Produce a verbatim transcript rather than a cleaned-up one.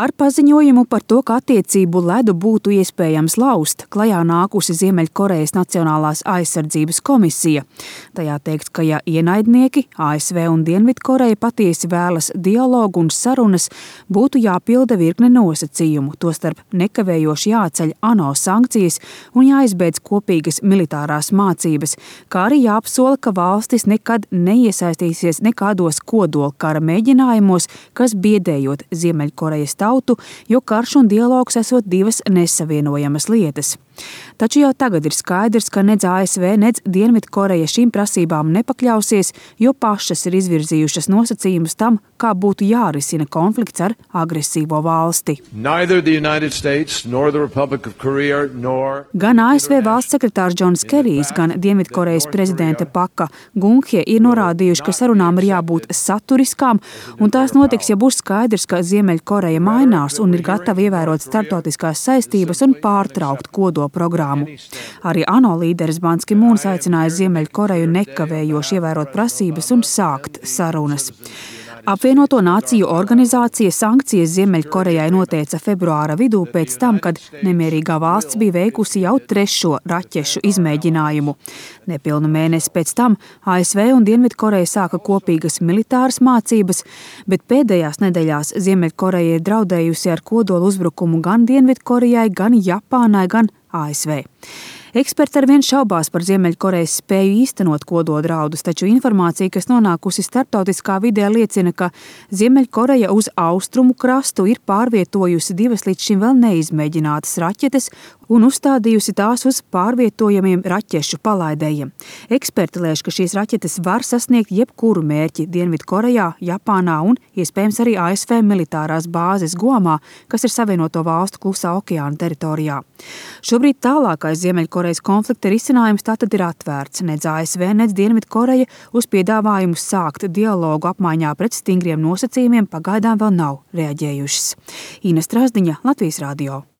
Ar paziņojumu par to, ka attiecību ledu būtu iespējams laust, klajā nākusi Ziemeļkorejas Nacionālās aizsardzības komisija. Tajā teikts, ka ja ienaidnieki, A S V un Dienvidkoreja patiesi vēlas dialogu un sarunas, būtu jāpilda virkne nosacījumu, tostarp nekavējoši jāceļ ANO sankcijas un jāizbeidz kopīgas militārās mācības, kā arī jāapsola, ka valstis nekad neiesaistīsies nekādos kodolkara mēģinājumos, kas biedējot Ziemeļkorejas tautu, jo karš un dialogs esot divas nesavienojamas lietas. Taču jau tagad ir skaidrs, ka nedz A S V, nedz Dienvidkoreja šīm prasībām nepakļausies, jo pašas ir izvirzījušas nosacījumus tam, kā būtu jārisina konflikts ar agresīvo valsti. States, Korea, nor... Gan A S V valsts sekretārs Džons Kerijs, gan Dienvidkorejas prezidente Paka Gung-hie ir norādījuši, ka sarunām ir jābūt saturiskām, un tās notiks, ja būs skaidrs, ka Ziemeļkoreja mainās un ir gatava ievērot starptautiskās saistības un pārtraukt kodola programmu. Arī ANO līderis Bans Ki-mūns aicināja Ziemeļkoreju nekavējoši ievērot prasības un sākt sarunas. Apvienoto Nāciju organizācija sankcijas Ziemeļkorejai noteica februāra vidū pēc tam, kad nemierīgā valsts bija veikusi jau trešo raķešu izmēģinājumu. Nepilnu mēnesi pēc tam A S V un Dienvidkoreja sāka kopīgas militāras mācības, bet pēdējās nedēļās Ziemeļkoreja ir draudējusi ar kodolu uzbrukumu gan Dienvidkorejai, gan Japānai, gan A S V. Eksperti arvien šaubās par Ziemeļkorejas spēju īstenot kododraudus, taču informācija, kas nonākusi starptautiskā vidē, liecina, ka Ziemeļkoreja uz austrumu krastu ir pārvietojusi divas līdz šim vēl neizmēģinātas raķetes un uzstādījusi tās uz pārvietojamiem raķešu palaidējiem. Eksperti lēš, ka šīs raķetes var sasniegt jebkuru mērķi Dienvidkorejā, Japānā un iespējams arī A S V militārās bāzes Guamā, kas ir Savienoto valstu Klusā okeāna teritorijā. Šobrīd tālākais Ziemeļkorejas konflikta risinājums tātad ir atvērts. Nedz A S V, nedz Dienvidkoreja uz piedāvājumu sākt dialogu apmaiņā pret stingriem nosacījumiem pagaidām vēl nav reaģējušas. Ina Strasdiņa, Latvijas radio.